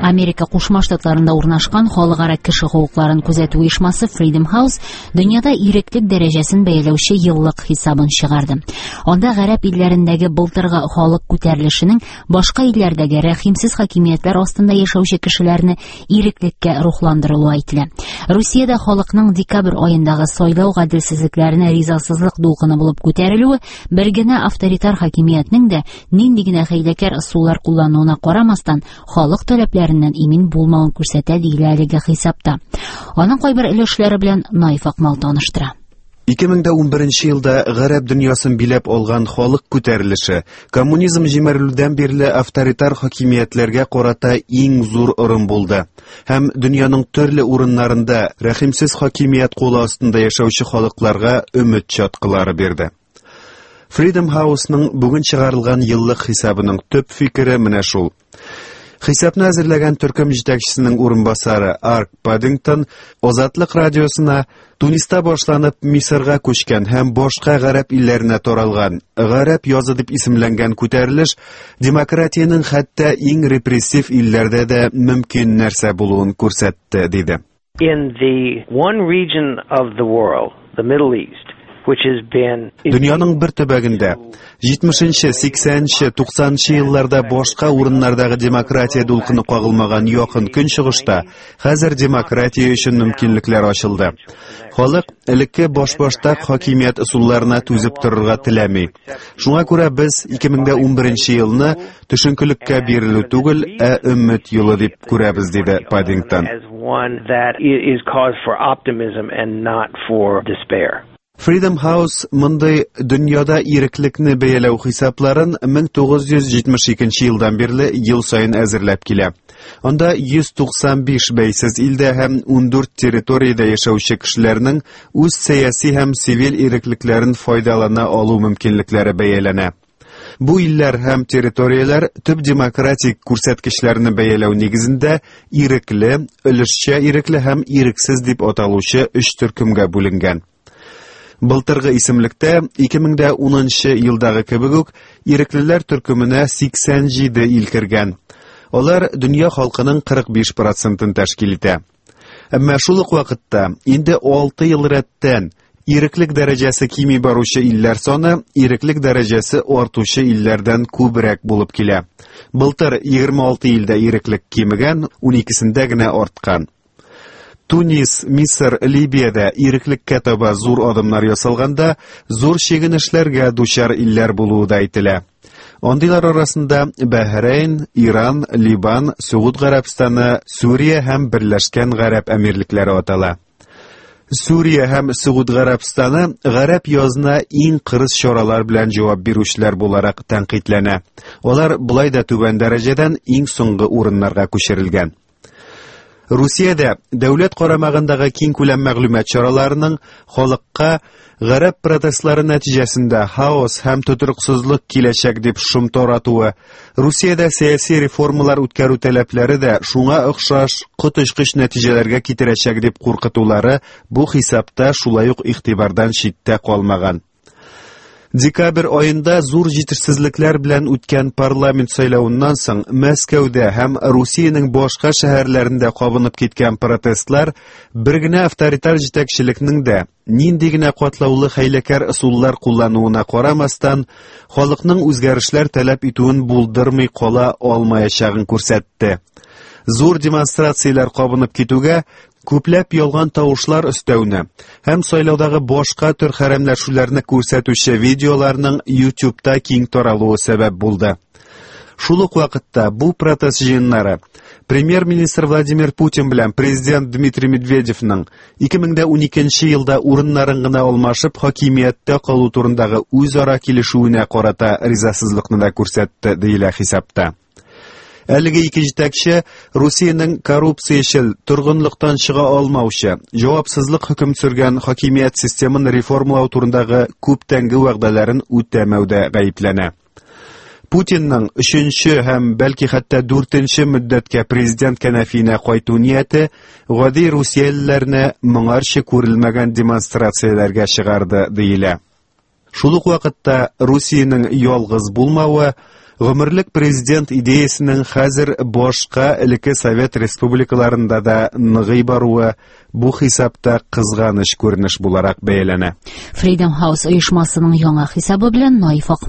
Америка Кушма Штатларында урнашкан халыкара кеше хокукларын күзәтү оешмасы Freedom House дөньяда иреклек дәрәҗәсен бәяләүче еллык хисабын чыгарды. Анда гарәп илләрендәге былтыргы халык күтәрелешенең башка илләрдәге рәхимсез хакимиятләр астында яшәүче кешеләрне иреклеккә рухландырылуы әйтелә. Русиядә халыкның декабрь аендагы сайлау гаделсезлекләренә ризасызлык дулкыны булып күтәрелүе бер генә авторитар хакимиятнең дә нинди генә хәйләкәр ысуллар куллануына карамастан, халык таләпләреннән имин булмавын күрсәтә, диелә әлеге хисапта. Аның кайбер өлешләре белән Наиф Акмал таныштыра. 2011 елда гарәп дөньясын биләп алган халык күтәрелеше коммунизм җимерелүдән бирле авторитар хакимиятләргә карата иң зур орым булды һәм дөньяның төрле урыннарында рәхимсез хакимият кулы астында яшәүче халыкларга өмет чаткылары бирде. Freedom House-ның бүген чыгарылган еллык хисабының төп фикере менә шул. Хисапны әзерләгән төркем җитәкчесенең урынбасары Арк Паддингтон Азатлык радиосына Туниста башланып Мисырга күчкән һәм башка гарәп илләренә таралган Гарәп язы дип исемләнгән күтәрелеш демократиянең хәтта иң репрессив илләрдә дә мөмкин нәрсә булуын күрсәтте, диде. In the one region of the world, the Middle East, which has been Дөньяның бер төбәгендә 70-нче, 80-нче, 90-нчы елларда башка урыннардагы демократия дулкыны кагылмаган Якын Көнчыгышта хәзер демократия өчен мөмкинлекләр ачылды. Халык элекке башбаштак хакимият ысулларына түзеп торырга теләми. Шуңа күрә без 2011 елны төшенкелеккә бирелү түгел, ә өмет юлы дип күрәбез, диде Паддингтон. Freedom House мондый дөньяда иреклекне бәяләү хисапларын 1972 елдан бирле ел саен әзерләп килә. Анда 195 бәйсез илдә һәм 14 территориядә яшәүче кешеләрнең үз сәяси һәм сивил иреклекләрен файдалана алу мөмкинлекләре бәяләнә. Бу илләр һәм территорияләр төп демократик күрсәткечләрне бәяләү нигезендә ирекле, өлешчә ирекле һәм ирексез дип аталучы өч төркемгә бүленгән. Былтыргы исемлектә 2010 елдагы кебек үк иреклеләр төркеменә 87 ил кергән. Алар дөнья халкының 45 процентын тәшкил итә. Әмма шул ук вакытта инде 6 ел рәттән иреклек дәрәҗәсе кими баручы илләр саны иреклек дәрәҗәсе артучы илләрдән күбрәк булып килә. Былтыр 26 илдә иреклек кимегән, 12сендә генә арткан. Тунис, Мисыр, Либиядә иреклеккә таба зур адымнар ясалганда, зур чигенешләргә дучар илләр булуы да әйтелә. Андыйлар арасында Бәһрәйн, Иран, Ливан, Сөгуд Гарәбстаны, Сүрия һәм Берләшкән Гарәп Әмирлекләре атала. Сүрия һәм Сөгуд Гарәбстаны гарәп язына иң кырыс чаралар белән җавап бирүчеләр буларак тәнкыйтьләнә. Алар болай да түбән дәрәҗәдән иң соңгы урыннарга күчерелгән. Русиядә дәүләт карамагындагы киңкүләм мәгълүмат чараларының халыкка гарәп протестлары нәтиҗәсендә хаос һәм тотрыксызлык киләчәк дип шом таратуы, Русиядә сәяси реформалар үткәрү таләпләре дә шуңа охшаш коточкыч нәтиҗәләргә китерәчәк дип куркытулары бу хисапта шулай ук игътибардан читтә калмаган. Декабрь аенда зур җитешсезлекләр белән үткән парламент сайлавыннан соң Мәскәүдә һәм Русиянең башка шәһәрләрендә кабынып киткән протестлар бер генә авторитар җитәкчелекнең дә нинди генә катлаулы хәйләкәр ысуллар куллануына карамастан, халыкның үзгәрешләр таләп итүен булдырмый кала алмаячагын күрсәтте. Зур демонстрацияләр кабынып китүгә күпләп ялган тавышлар өстәүне һәм сайлаудагы башка төр хәрәмләшүләрне күрсәтүче видеоларның YouTube'та киң таралуы сәбәп булды. Шул ук вакытта бу протест җыеннары премьер-министр Владимир Путин белән президент Дмитрий Медведевның 2012 елда урыннарын гына алмашып хакимияттә калу турындагы үзара килешүенә карата ризасызлыкны да күрсәтте, диелә хисапта. Әлеге ике җитәкче Русиянең коррупциячел, торгынлыктан чыга алмаучы, җавапсызлык хөкем сөргән хакимият системын реформалау турындагы күптәнге вәгъдәләрен үтәмәүдә гаепләнә. Путинның өченче һәм бәлки хәтта дүртенче мөддәткә президент кәнәфиенә кайту нияте гади русиялеләрне моңарчы күрелмәгән демонстрацияләргә чыгарды, диелә. Шул ук вакытта Русиянең ялгыз булмавы, Гомерлек президент идеясенең хәзер башка элекке совет республикаларында да ныгый баруы бу хисапта кызганыч күренеш буларак бәяләнә. Freedom House оешмасының яңа хисабы белән Наиф Акмал.